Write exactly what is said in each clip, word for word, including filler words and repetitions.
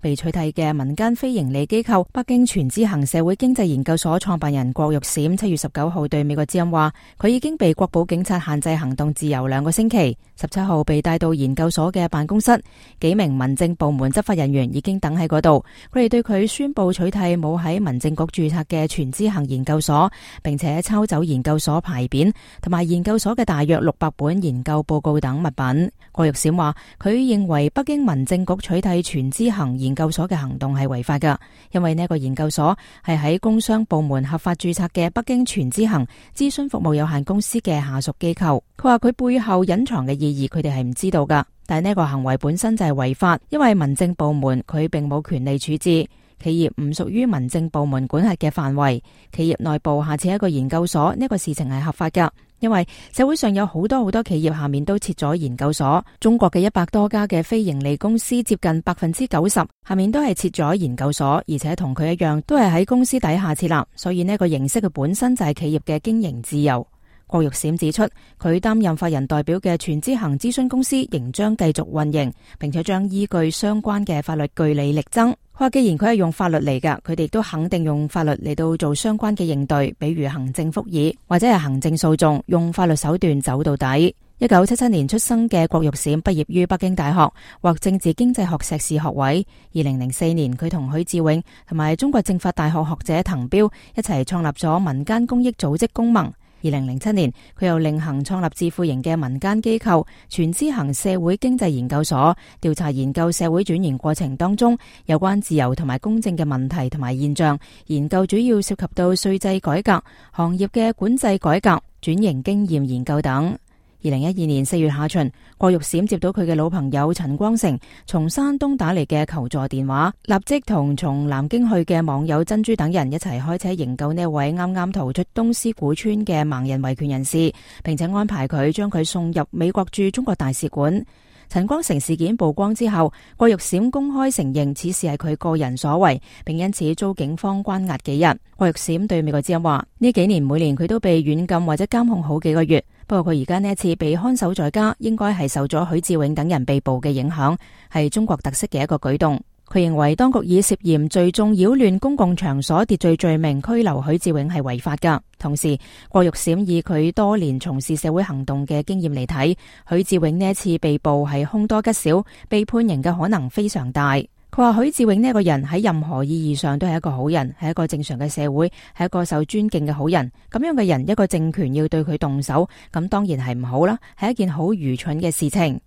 被取締嘅民間非營利機構北京全知行社會經濟研究所創辦人郭玉閃七月十九號對美國之音話，佢已經被國保警察限制行動自由兩個星期。十七號被帶到研究所嘅辦公室，幾名民政部門執法人員已經等喺嗰度。佢哋對佢宣布取締冇喺民政局註冊嘅全知行研究所，並且抄走研究所牌匾同埋研究所嘅大約六百本研究報告等物品。郭玉閃話，佢認為北京民政局取締全知行研究所嘅行動係違法㗎，因為呢個研究所係喺工商部門合法註冊嘅北京全知行諮詢服務有限公司嘅下屬機構。佢話佢背後隱藏嘅意義，佢哋係唔知道㗎，但係呢個行為本身就係違法，因為民政部門佢並冇權利處置，企業唔屬於民政部門管轄嘅範圍，企業內部下設一個研究所，呢個事情係合法㗎。因為社會上有好多好多企業下面都設咗研究所，中國嘅一百多家嘅非盈利公司接近百分之九十下面都係設咗研究所，而且同佢一樣都係喺公司底下設立，所以呢個形式嘅本身就係企業嘅經營自由。郭玉閃指出，佢擔任法人代表嘅全知行諮詢公司仍將繼續運營，並且將依據相關嘅法律據理力爭。佢話既然佢係用法律嚟㗎，佢哋都肯定用法律嚟到做相關嘅應對，比如行政復議或者係行政訴訟，用法律手段走到底。一九七七年出生嘅郭玉閃畢業於北京大學，獲政治經濟學碩士學位。二零零四年，佢同許志永同埋中國政法大學學者滕彪一齊創立咗民間公益組織公盟。二零零七年，佢又另行創立自負型嘅民間機構全知行社會經濟研究所，調查研究社會轉型過程當中有關自由同埋公正嘅問題同埋現象。研究主要涉及到稅制改革、行業嘅管制改革、轉型經驗研究等。二零一二年四月下旬，郭玉閃接到佢嘅老朋友陳光誠從山東打嚟嘅求助電話，立即同從南京去嘅網友珍珠等人一齊開車營救呢位啱啱逃出東施古村嘅盲人維權人士，並且安排佢將佢送入美國駐中國大使館。陳光誠事件曝光之後，郭玉閃公開承認此事係佢個人所為，並因此遭警方關押幾日。郭玉閃對美國之音話，呢幾年每年佢都被軟禁或者監控好幾個月，不過佢而家呢一次被看守在家，應該係受咗許志永等人被捕嘅影響，係中國特色嘅一個舉動。佢認為當局以涉嫌聚眾擾亂公共場所秩序罪名拘留許志永係違法㗎。同時，郭玉閃以佢多年從事社會行動嘅經驗嚟睇，許志永呢一次被捕係凶多吉少，被判刑嘅可能非常大。佢話許志永呢一個人喺任何意義上都係一個好人，係一個正常嘅社會，係一個受尊敬嘅好人。咁樣嘅人，一個政權要對佢動手，咁當然係唔好啦，係一件好愚蠢嘅事情。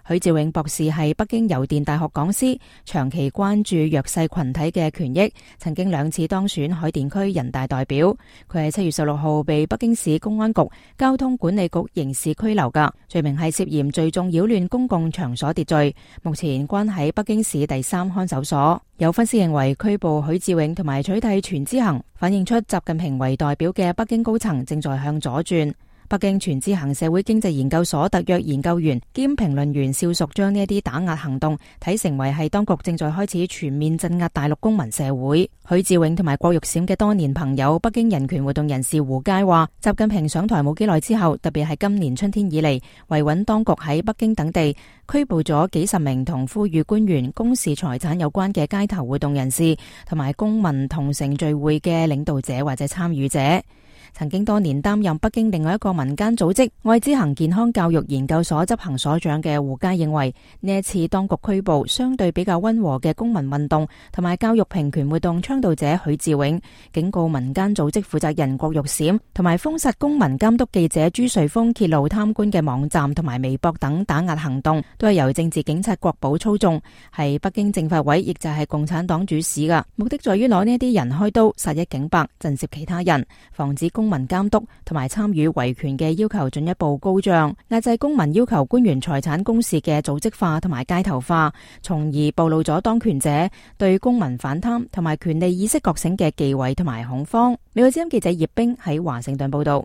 許志永博士係北京郵電大學講師，長期關注弱勢群體嘅權益，曾經兩次當選海淀區人大代表。佢喺七月十六號被北京市公安局交通管理局刑事拘留㗎，罪名係涉嫌聚眾擾亂公共場所秩序，目前關喺北京市第三看守所。有分析認為，拘捕許志永同埋取締全知行，反映出習近平為代表嘅北京高層正在向左轉。北京全知行社會經濟研究所特約研究員兼評論員邵淑將呢一啲打壓行動睇成為係當局正在開始全面鎮壓大陸公民社會。許志永同埋郭玉閃嘅多年朋友北京人權活動人士胡佳話，習近平上台冇幾耐之後，特別係今年春天以嚟，維穩當局喺北京等地拘捕咗幾十名同呼籲官員公示財產有關嘅街頭活動人士同埋公民同城聚會嘅領導者或者參與者。曾經多年擔任北京另外一個民間組織愛之行健康教育研究所執行所長嘅胡佳認為，呢一次當局拘捕相對比較溫和嘅公民運動同埋教育平權活動倡導者許志永，警告民間組織負責人郭玉閃同埋封殺公民監督記者朱瑞峰揭露貪官嘅網站同埋微博等打壓行動都係由政治警察國保操縱，係北京政法委亦就係共產黨主使噶，目的在於攞呢啲人開刀殺一儆百，震懾其他人，防止公民監督同埋參與維權嘅要求進一步高漲，壓制公民要求官員財產公示嘅組織化同埋街頭化，從而暴露咗當權者對公民反貪同埋權利意識覺醒嘅忌諱同埋恐慌。美國之音記者葉冰喺華盛頓報道。